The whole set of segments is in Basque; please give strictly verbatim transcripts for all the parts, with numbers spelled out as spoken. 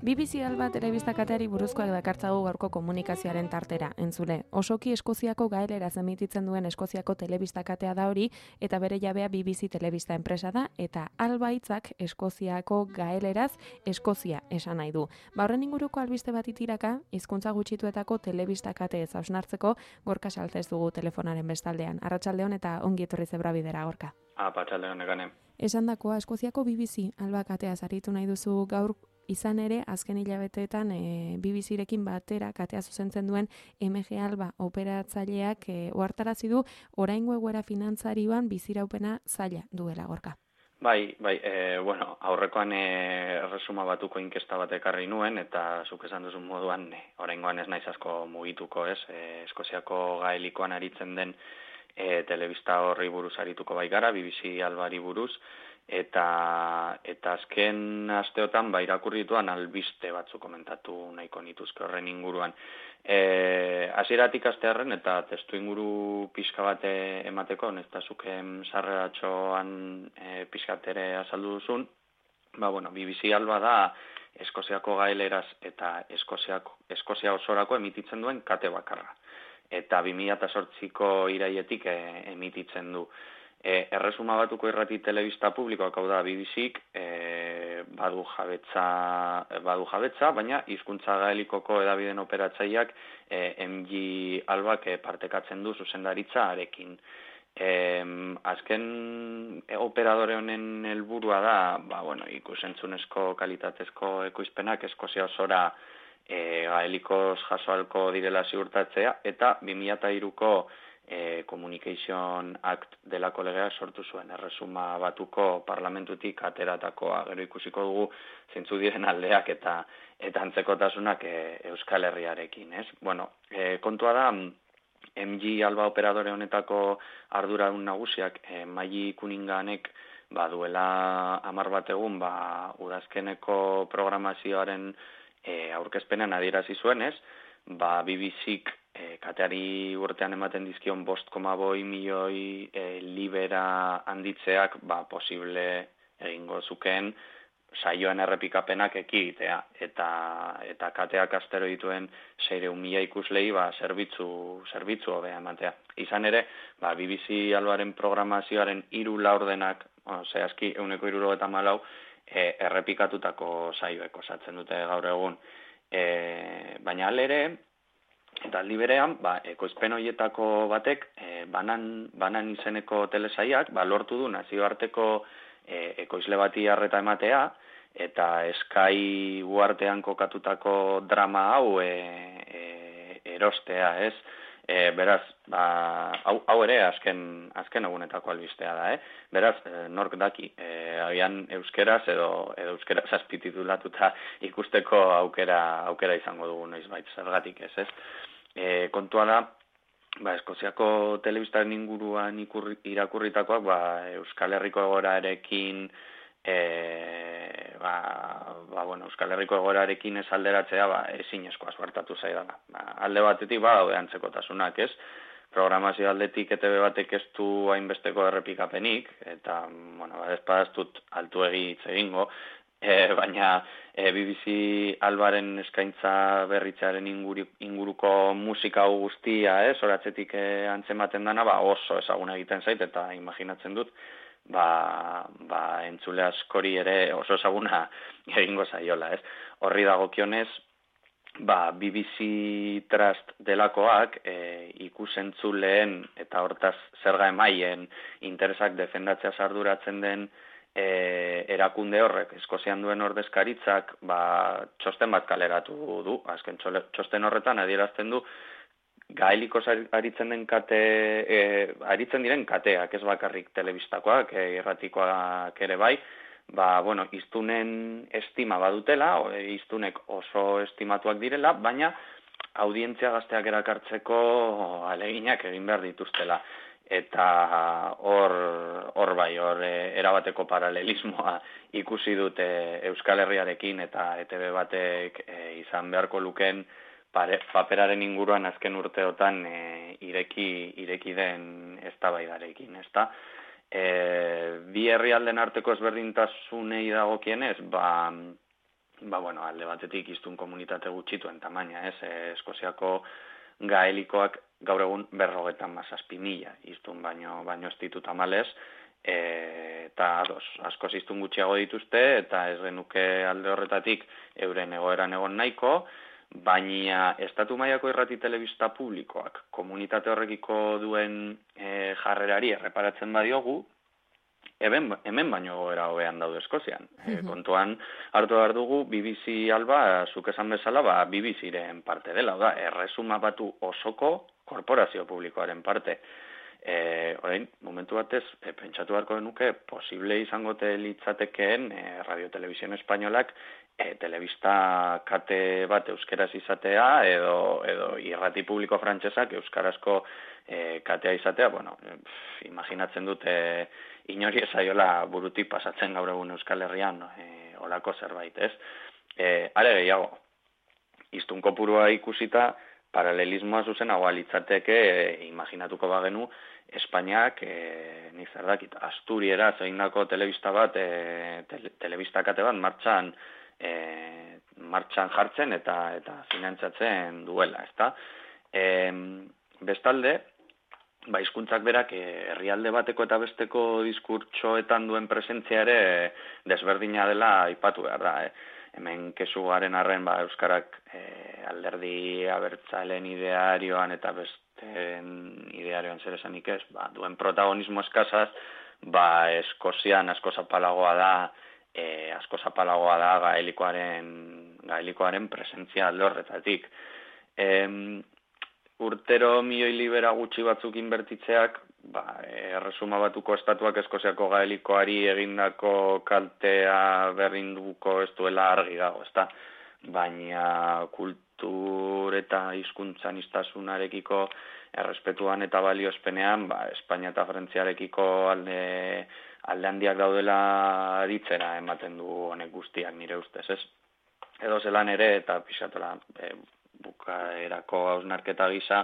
B B C Alba telebista kateari buruzkoak dakartzagu gaurko komunikazioaren tartera, entzule. Osoki Eskoziako gaeleraz emititzen duen Eskoziako telebista katea da hori, eta bere jabea B B C telebista enpresa da, eta Alba hitzak Eskoziako gaeleraz Eskozia esan nahi du. Ba horren inguruko albiste bat itiraka, hizkuntza gutxituetako telebista kate ez hausnartzeko Gorka Saltez dugu telefonaren bestaldean. Arratsaldeon eta ongi etorri zebra bidera, Gorka. Ah, arratsaldeon egane. Esandakoa, Eskoziako B B C Alba kateaz aritu nahi duzu gaur. Izan ere, azken hilabeteetan e, B B C-rekin batera katea zuzentzen duen M G Alba operatzaileak e, ohartarazi du oraingo egoera finantzarioan biziraupena zaila duela, Gorka. Bai, bai, e, bueno, aurrekoan e, erresuma batuko inkesta bat ekarri nuen, eta zuk esan duzun moduan, e, oraingoan ez naiz asko mugituko, ez? E, Eskoziako gaelikoan aritzen den e, telebista horri buruz arituko bai gara, B B C Albari buruz, eta eta azken asteotan ba irakurrituan albiste batzu komentatu nahiko nituzke horren inguruan. Eh, hasieratik astearren eta testu inguru pixka bat emateko, nesta zuken sarreratxoan e, pixkat ere azaldu duzun, ba bueno, B B C Alba da Eskoziako gaeleraz eta Eskoziako Eskozia osorako emititzen duen kate bakarra. Eta bi mila zortziko iraietik e, emititzen du. E, erresuma batuko irrati telebista publikoak, hau da B B C-k, e, badu jabetza, badu jabetza, baina hizkuntza gaelikoko edabideen operatzaileak e, M G Albak e, partekatzen du zuzendaritza arekin. E, azken e, operadore honen helburua da, ba, bueno, ikusentzunezko kalitatezko ekoizpenak Eskozia osora e, gaelikoz jasoalko direla ziurtatzea, eta bi mila hiruko E, Communication Act delako legea sortu zuen erresuma batuko parlamentutik ateratakoa. Gero ikusiko dugu zeintzu diren aldeak eta eta antzekotasunak e, Euskal Herriarekin, ez? Bueno, e, kontua da M G Alba operadore honetako arduradun nagusiak e, Maili Kuninganek baduela hamar bat egun ba udazkeneko programazioaren e, aurkezpenean adierazi zuenez, ba B B C-k E, kateari urtean ematen dizkion bost koma boi milioi e, libera handitzeak ba, posible egingo zukeen saioen errepikapenak ekigitea. Eta, eta kateak astero dituen seiehun mila ikuslei ba, zerbitzu, zerbitzu hobea ematea. Izan ere, ba, B B C Albaren programazioaren hiru laurdenak, bueno, zehazki ehuneko hirurogeita hamalau e, errepikatutako saioek osatzen dute gaur egun. E, baina alere, eta aldi berean, ba, ekoizpen horietako batek, e, banan, banan izeneko telesaiak, ba, lortu du nazioarteko e, ekoizle bati harreta ematea, eta Sky uartean kokatutako drama hau e, e, erostea, ez? E, beraz, ba, hau, hau ere azken, azken egunetako albistea da, eh? Beraz, e, nork daki, e, agian euskeraz edo, edo euskeraz azpititulatuta ikusteko aukera, aukera izango dugu noizbait, zergatik ez, ez? E, kontua da, ba, Eskoziako telebistaren inguruan ikurri, irakurritakoak ba, Euskal Herriko egoerarekin e, ba, ba, bueno, Euskal Herriko egoerarekin ez alderatzea ba, ezinezkoa suertatu zaidala. Ba, alde batetik ba, daude antzekotasunak, ez? Programazio aldetik E T B batek ez du hainbesteko errepikapenik, eta bueno, ba, ez padaztut altu egitz egingo, E, baina e, B B C Albaren eskaintza berritzearen inguru, inguruko musika guztia, ez, oratzetik e, antzematen dana, ba, oso ezaguna egiten zait, eta imaginatzen dut, ba, ba, entzule askori ere oso ezaguna egingo zaiola, ez. Horri dagokionez, ba, B B C Trust delakoak e, ikusentzuleen eta hortaz zerga emaien interesak defendatzea arduratzen den E, erakunde horrek, Eskozian duen ordezkaritzak, ba, txosten bat kaleratu du. Azken txosten horretan adierazten du gaelikoz aritzen den kate, e, aritzen diren kateak, ez bakarrik telebistakoak, e, irratikoak ere bai, ba, bueno, iztunen estima badutela, e, iztunek oso estimatuak direla, baina audientzia gazteak erakartzeko aleginak egin behar dituztela. eta hor hor bai hor e, erabateko paralelismoa ikusi dute Euskal Herriarekin eta E T B batek e, izan beharko luken pare, paperaren inguruan azken urteotan e, ireki ireki den eztabaidarekin, ezta? E, bi herrialden arteko ezberdintasunei dagokienez, ba ba bueno, alde batetik hiztun komunitate gutxituen tamaina, ez? E, Eskoziako gaelikoak gaur egun berrogeita hamazazpi mila hiztun baino baino ez ditu tamalez, e, eta ados, asko hiztun gutxiago dituzte eta ez genuke alde horretatik euren egoeran egon nahiko, baina estatu mailako irrati telebista publikoak komunitate horrekiko duen e, jarrerari erreparatzen badiogu, Hemen, hemen baino goera hobean daude Eskozian. E, kontuan hartu behar dugu B B C Alba, zuk esan bezala, ba, B B C-ren parte dela, da, erresuma batu osoko korporazio publikoaren parte. E, orain, momentu batez, e, pentsatu beharko genuke, posible izangote litzatekeen e, Radio Televisión Espainolak e, telebista kate bat euskeraz izatea edo, edo irrati publiko frantsesak euskarazko e, katea izatea, bueno, pf, imaginatzen dute inori esaiola burutik pasatzen gaur egun Euskal Herrian e, olako zerbait, ez? E, are gehiago, hiztun kopurua ikusita, paralelismoa zuzenagoa litzateke, e, imaginatuko bagenu, Espainiak, e, nik zer dakit, Asturiera zeindako telebista bat, e, tele, telebista kate bat martxan, e, martxan jartzen eta eta finantzatzen duela, ezta? E, bestalde, ba, hizkuntzak berak herrialde bateko eta besteko diskurtsoetan duen presentzia ere desberdina dela aipatu behar da. Eh? Hemen kesu garen arren ba, euskarak eh, alderdi abertzaleen idearioan eta besten idearioan zer esanik ez, ba, duen protagonismo eskasaz, ba, Eskozian asko zapalagoa da, eh, asko zapalagoa da gaelikoaren, gaelikoaren presentzia alde horretatik. Eh, Urtero milioi libera gutxi batzuk inbertitzeak, ba, erresuma batuko estatuak Eskoziako gaelikoari egindako kaltea berrinduko ez duela argi dago, ezta? Baina kultur eta hizkuntzan iztasunarekiko errespetuan eta baliozpenean, ba, Espainia eta Frantziarekiko alde, alde handiak daudela aritzera ematen du honek guztiak nire ustez, ez? Edo zelan ere eta pixatola, e, bukaerako hausnarketa gisa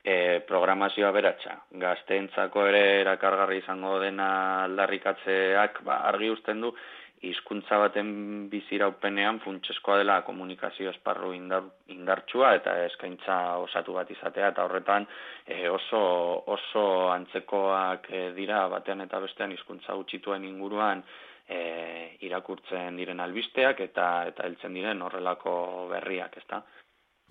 e, programazioa beratxa. Gazteentzako ere erakargarri izango dena aldarrikatzeak ba, argi uzten du hizkuntza baten biziraupenean funtseskoa dela komunikazio esparru indar, indartsua eta eskaintza osatu bat izatea eta horretan e, oso, oso antzekoak e, dira batean eta bestean hizkuntza gutxituen inguruan e, irakurtzen diren albisteak eta eta heltzen diren horrelako berriak, ezta?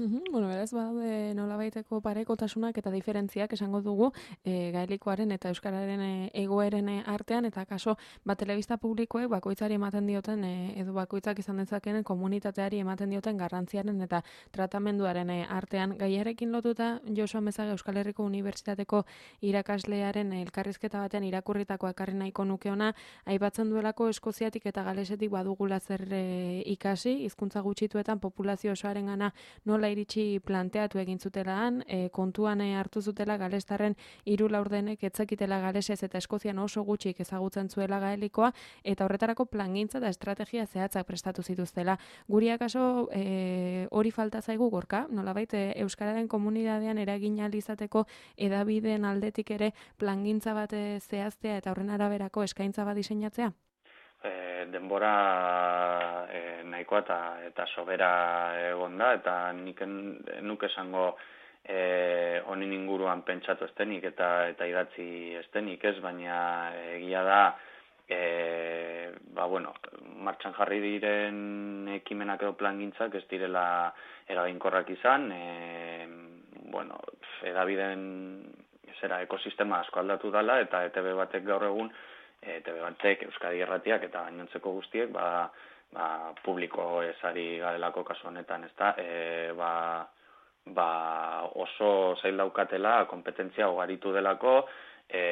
Uhum, bueno, beraz, badaude nolabaiteko parekotasunak eta diferentziak esango dugu e, gaelikoaren eta euskararen e, egoeren artean, eta kaso, ba, telebista publikoek bakoitzari ematen dioten, e, edo bakoitzak izan dezakenen komunitateari ematen dioten garrantziaren eta tratamenduaren e, artean. Gaiarekin lotuta, Josu Amezaga Euskal Herriko Unibertsitateko irakaslearen elkarrizketa batean irakurritako ekarri nahiko nuke ona, aipatzen duelako Eskoziatik eta Galesetik badugula zer e, ikasi, hizkuntza gutxituetan populazio osoarengana nola iritsi planteatu egin zutelaan, e, kontuan hartu zutela galestarren hiru laurdenek etzakitela galesez eta Eskozian oso gutxik ezagutzen zuela gaelikoa, eta horretarako plangintza eta estrategia zehatzak prestatu zituztela. Guri akaso e, hori falta zaigu gorka, nolabait e, euskararen komunitatean eragin ahal izateko hedabideen aldetik ere plangintza bat zehaztea eta horren araberako eskaintza bat diseinatzea? E, denbora e, nahikoa eta, eta sobera egon da, eta nik nuke esango e, honin inguruan pentsatu estenik eta, eta idatzi estenik ez, baina egia da e, ba, bueno, martxan jarri diren ekimenak edo plangintzak ez direla eraginkorrak izan, e, bueno, edabideen zera ekosistema asko aldatu dela eta E T B batek gaur egun E T B batek, Euskadi Irratiak eta gainontzeko guztiek ba, ba, publiko ezari garelako kasu honetan, ezta? E, ba, ba, oso zail daukatela kompetentzia ugaritu delako e,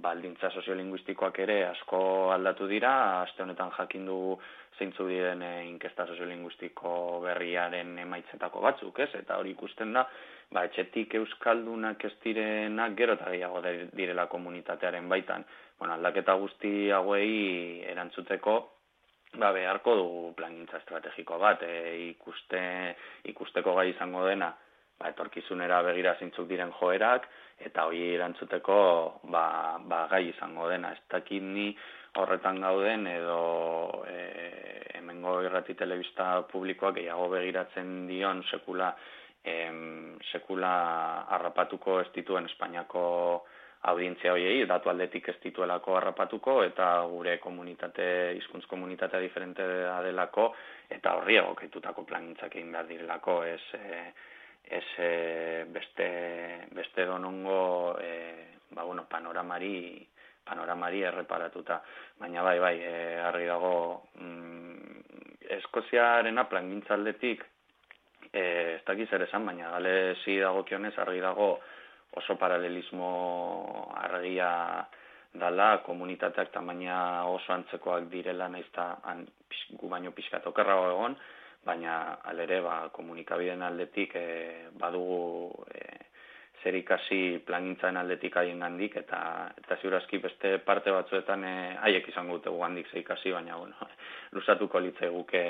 baldintza soziolinguistikoak ere asko aldatu dira, aste honetan jakin dugu zeintzu diren inkesta soziolinguistiko berriaren emaitzetako batzuk, ez? Eta hori ikusten da, ba, etxetik euskaldunak ez direnak gero eta gehiago direla komunitatearen baitan. Bueno, aldaketa guzti hauei erantzuteko, ba, beharko dugu plangintza estrategiko bat, e, ikuste, ikusteko gai izango dena, ba, etorkizunera begira zeintzuk diren joerak, eta hori erantzuteko ba, ba, gai izango dena. Ez dakit ni horretan gauden edo e, hemengo irrati telebista publikoak gehiago begiratzen dion sekula, em, sekula harrapatuko ez dituen Espainiako audientzia hoiei, datu aldetik ez dituelako harrapatuko, eta gure komunitate, hizkuntz komunitatea diferentea delako, eta horri egokitutako plangintzak egin behar direlako, ez, e, ez e, beste, beste donongo e, ba, bueno, panoramari, panoramari erreparatuta. Baina bai, bai, e, argi dago, mm, Eskoziarena plangintza aldetik, e, ez dakiz ere esan, baina galezi dagokionez argi dago, oso paralelismo argia dala, komunitateak tamaina oso antzekoak direla, naizta gu baino pixkat okerrago egon, baina alere ba, komunikabideen aldetik e, badugu e, zer ikasi plangintzaren aldetik haien gandik, eta, eta ziurazki beste parte batzuetan e, haiek izango dute gandik zer ikasi, baina bueno, lusatuko litzaiguke,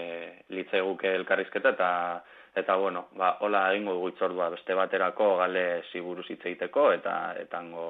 litzaiguke elkarrizketa, eta Eta, bueno, ba, hola egingo dugu itzordua beste baterako gale ziburuz hitz egiteko eta etango,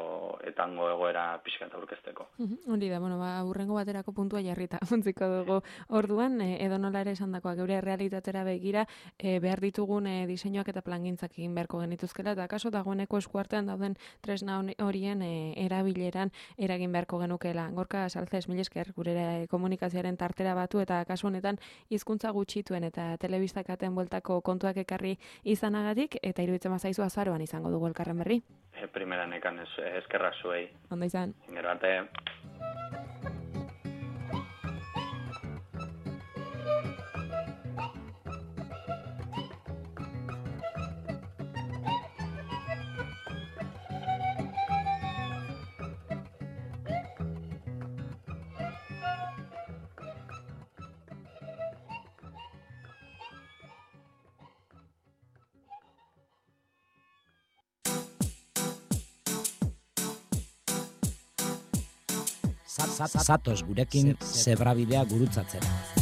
etango egoera pixkat aurkezteko. Hori da, bueno, ba, urrengo baterako puntua jarrita ontziko dugu orduan, e, edo nola ere esan dakoa, geure realitatera begira, e, behar ditugun e, diseinuak eta plangintzak egin beharko genituzkela, eta kaso dagoeneko eskuartean dauden tresna horien e, erabileran eragin beharko genukela. Gorka Salces, mil esker, gure komunikazioaren tartera batu, eta kasu honetan hizkuntza gutxituen eta telebistakaten bueltako kontuak ekarri izanagatik, eta iruditzen bazaizu azaroan izango dugu elkarren berri. E, primeran ekan ez, eskerrak zuei. Ondo izan. Gero arte. Zatoz gurekin zebrabidea gurutzatzera.